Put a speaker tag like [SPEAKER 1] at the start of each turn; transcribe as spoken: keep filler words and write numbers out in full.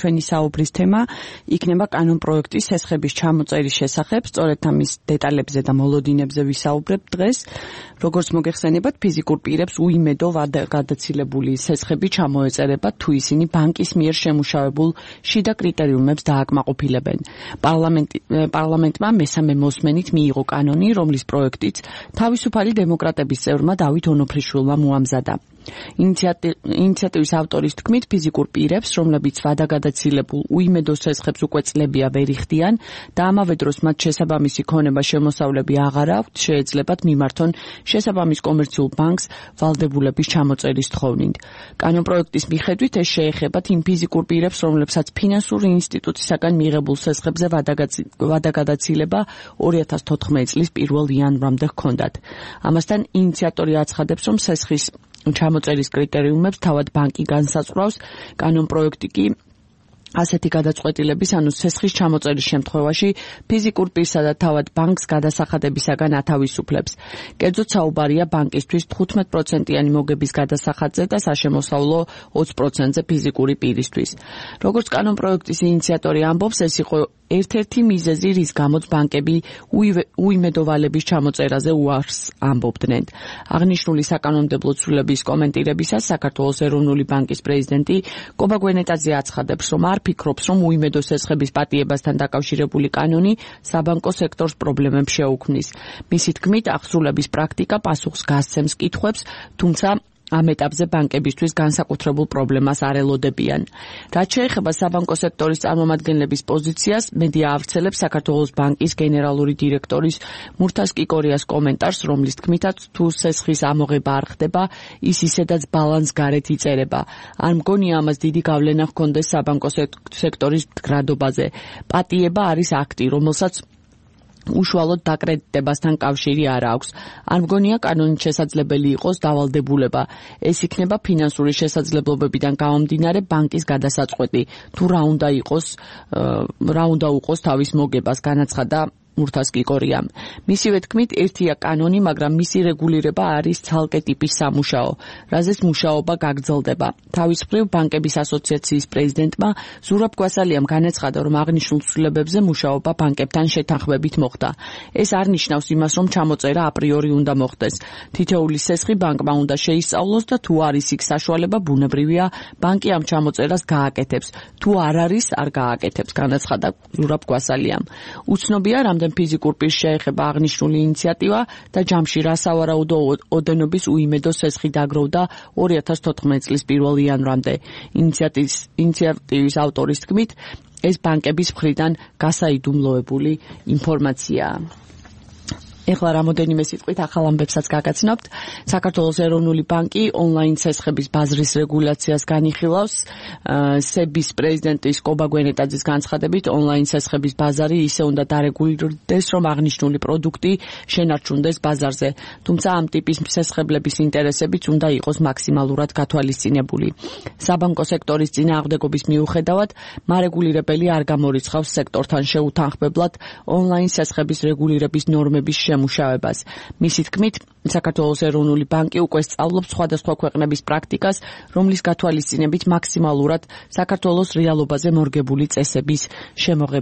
[SPEAKER 1] ჩვენი საუბრის თემა იქნება კანონპროექტის სესხების ჩამოწერის შესახებ, სწორედ ამის დეტალებზე და მოლოდინებზე ვისაუბრებთ დღეს. Როგორც მოგეხსენებათ, ფიზიკურ პირებს უიმედო გადაცილებული სესხები ჩამოეწერებათ, თუ ისინი ბანკის მიერ შემუშავებულ შიდა კრიტერიუმებს დააკმაყოფილებენ. პარლამენტმა მესამე მოსმენით მიიღო კანონი, რომლის პროექტიც თავისუფალი დემოკრატების წევრმა დავით ონოფრიშვილმა მოამზადა. ინიციატივის ავტორის თქმით, ფიზიკურ პირებს, რომლებიც ვადაგადაცილებულ უიმედო სესხებს უკვე წლებია ვერ იხდიან და ამავე დროს მათ შესაბამისი ქონება შემოსავლები აღარ აქვთ, შეეძლებათ მიმართონ შესაბამის კომერციულ ბანკს ვალდებულების ჩამოწერის თხოვნით. კანონპროექტის მიხედვით ეს შეეხებათ იმ ფიზიკურ პირებს, რომლებსაც ფინანსური ინსტიტუტისაგან მიღებულ სესხებზე ვადაგადაცილება ორი ათას თოთხმეტი წლის პირველ იანვრამდე ჰქონდათ. ამასთან ინიციატორი აცხადებს, რომ სესხის ჩამოწერის კრიტერიუმებს თავად ბანკი განსაზღვრავს, კანონპროექტი კი ასეთი გადაწყვეტილების, ანუ სესხის ჩამოწერის შემთხვევაში ფიზიკურ პირსა და თავად ბანკს გადასახადებისაგან ათავისუფლებს. კერძოდ საუბარია ბანკისთვის თხუთმეტ პროცენტიანი მოგების გადასახადზე და საშემოსავლო ოცი პროცენტზე ფიზიკური პირისთვის. როგორც კანონპროექტის ინიციატორი ამბობს, ეს იყო ერთ-ერთი მიზეზი, რის გამოც ბანკები უიმედოვალების ჩამოწერაზე უარს ამბობდნენ. აღნიშნული საკანონმდებლო ცვლილების კომენტირებისას საქართველოს ეროვნული ბანკის პრეზიდენტი კობა გვენეტაძე აცხადებს, რომ არ ფიქრობს, რომ უიმედო სესხების პატიებასთან დაკავშირებული კანონი საბანკო სექტორს პრობლემებს შეუქმნის. მისი თქმით, აღსრულების პრაქტიკა პასუხს გასცემს კითხვებს, თუმცა ამ ეტაპზე ბანკებისთვის განსაკუთრებულ პრობლემას არ ელოდებიან. რაც შეეხება საბანკო სექტორის წარმომადგენლების პოზიციას, მედია ავრცელებს საქართველოს ბანკის გენერალური დირექტორის მურთაზ კიკორიას კომენტარს, რომლის თქმითაც თუ სესხის ამოღება არ ხდება, ის ისედაც ბალანს გარეთ იწერება. არ მგონია ამას დიდი გავლენა ჰქონდეს საბანკო სექტორის მდგრადობაზე. პატიება არის აქტი, რომელსაც უშუალოდ დაკრედიტებასთან კავშირი არ აქვს. არ მგონია კანონით შესაძლებელი იყოს დავალდებულება. ეს იქნება ფინანსური შესაძლებლობებიდან გამომდინარე ბანკის გადასაწყვეტი, თუ რა უნდა იყოს, რა უნდა უყოს თავის მოგებას, განაცხადა მურთაზ კიკორიამ. მისივე თქმით, ერთია კანონი, მაგრამ მისი რეგულირება არის ცალკე ტიპის სამუშაო, რაზეც მუშაობა გაგრძელდება. თავის მხრივ ბანკების ასოციაციის პრეზიდენტმა ზურაბ გვასალიამ განაცხადა, რომ აღნიშნულ ცვლილებებზე მუშაობა ბანკებთან შეთანხმებით მოხდა. ეს არ ნიშნავს იმას, რომ ჩამოწერა აპრიორი უნდა მოხდეს. თითოეული სესხი ბანკმა უნდა შეისწავლოს და თუ არის იქ საშუალება, ბუნებრივია, ბანკი ამ ჩამოწერას გააკეთებს. თუ არ არის, არ გააკეთებს, განაცხადა ზურაბ გვასალიამ. უცნობია, რამდენი ფიზიკურ პირს შეეხება აღნიშნული ინიციატივა და ჯამში რა სავარაუდო ოდენობის უიმედო სესხი დაგროვდა ორი ათას თოთხმეტი წლის პირველ იანვრამდე. ინიციატივის ინიციატივის ავტორის თქმით, ეს ბანკების მხრიდან გასაიდუმლოებული ინფორმაციაა. ეხლა რამოდენიმე სიტყვით ახალ ამბებსაც გაგაცნობთ. საქართველოს ეროვნული ბანკი ონლაინ სესხების ბაზრის რეგულაციას განიხილავს. სების პრეზიდენტის კობა გვენეტაძის განცხადებით, ონლაინ სესხების ბაზარი ისე უნდა დარეგულირდეს, რომ აღნიშნული პროდუქტი შენარჩუნდეს ბაზარზე. თუმცა ამ ტიპის სესხებლების ინტერესებიც უნდა იყოს მაქსიმალურად გათვალისწინებული. საბანკო სექტორის წინააღმდეგობის მიუხედავად, მარეგულირებელი არ გამორიცხავს სექტორთან შეუთანხმებლად ონლაინ სესხების რეგულირების ნორმების შემუშავებას. მისი თქმით, საქართველოს ეროვნული ბანკი უკვე სწავლობს სხვადასხვა ქვეყნების პრაქტიკას, რომლის გათვალისწინებით მაქსიმალურად საქართველოს რეალობაზე მორგებული წესების შემოღება